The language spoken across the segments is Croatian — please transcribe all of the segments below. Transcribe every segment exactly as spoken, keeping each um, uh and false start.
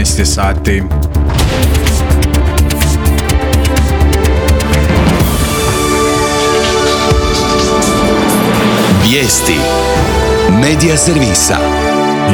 četrnaest sati. Vijesti Medija servisa.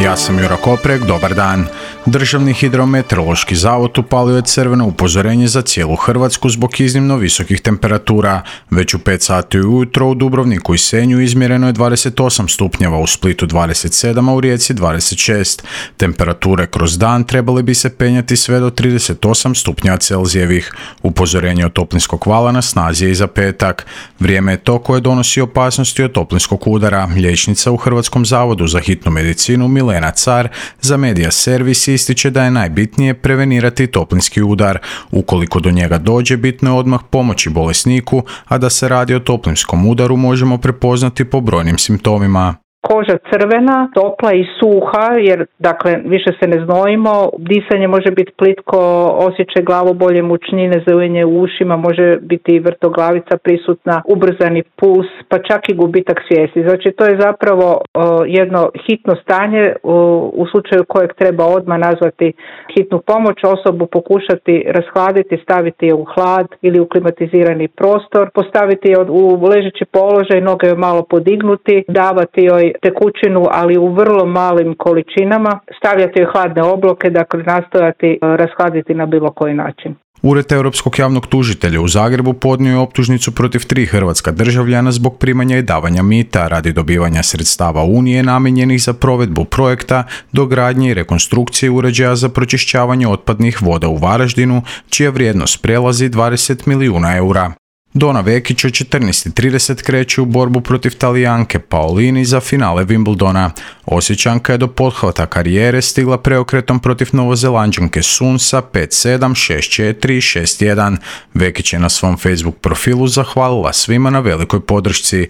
Ja sam Jura Koprek, dobar dan. Državni hidrometeorološki zavod upalio je crveno upozorenje za cijelu Hrvatsku zbog iznimno visokih temperatura. Već u pet sati ujutro u Dubrovniku i Senju izmjereno je dvadeset osam stupnjeva, u Splitu dvadeset sedam, a u Rijeci dvadeset šest. Temperature kroz dan trebale bi se penjati sve do trideset osam stupnjeva Celzijevih. Upozorenje od toplinskog vala na snazi je i za petak. Vrijeme je to koje donosi opasnosti od toplinskog udara. Liječnica u Hrvatskom zavodu za hitnu medicinu Milena Car za Medija servis ističe da je najbitnije prevenirati toplinski udar. Ukoliko do njega dođe, bitno je odmah pomoći bolesniku, a da se radi o toplinskom udaru možemo prepoznati po brojnim simptomima. Koža crvena, topla i suha, jer dakle više se ne znojimo, disanje može biti plitko, osjećaj glavobolje, mučnine, zeujenje u ušima, može biti i vrtoglavica prisutna, ubrzani puls, pa čak i gubitak svijesti. Znači to je zapravo o, jedno hitno stanje o, u slučaju kojeg treba odmah nazvati hitnu pomoć, osobu pokušati rashladiti, staviti je u hlad ili u klimatizirani prostor, postaviti je u ležeći položaj, noge joj malo podignuti, davati joj tekućinu, ali u vrlo malim količinama, stavljati joj hladne obloke, dakle nastojati rashladiti na bilo koji način. Ured Europskog javnog tužitelja u Zagrebu podnio je optužnicu protiv tri hrvatska državljana zbog primanja i davanja mita radi dobivanja sredstava Unije namijenjenih za provedbu projekta dogradnje i rekonstrukcije uređaja za pročišćavanje otpadnih voda u Varaždinu, čija vrijednost prelazi dvadeset milijuna eura. Dona Vekić od četrnaest i trideset kreće u borbu protiv Talijanke Paolini za finale Wimbledona. Osječanka je do pothvata karijere stigla preokretom protiv Novozelanđanke Sun sa pet sedam, šest četiri i šest jedan. Vekić je na svom Facebook profilu zahvalila svima na velikoj podršci.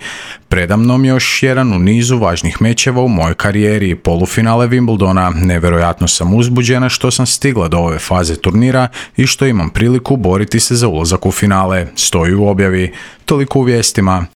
Predamnom još jedan u nizu važnih mečeva u mojoj karijeri, polufinale Wimbledona. Nevjerojatno sam uzbuđena što sam stigla do ove faze turnira i što imam priliku boriti se za ulazak u finale, stoji u objavi. Toliko u vijestima.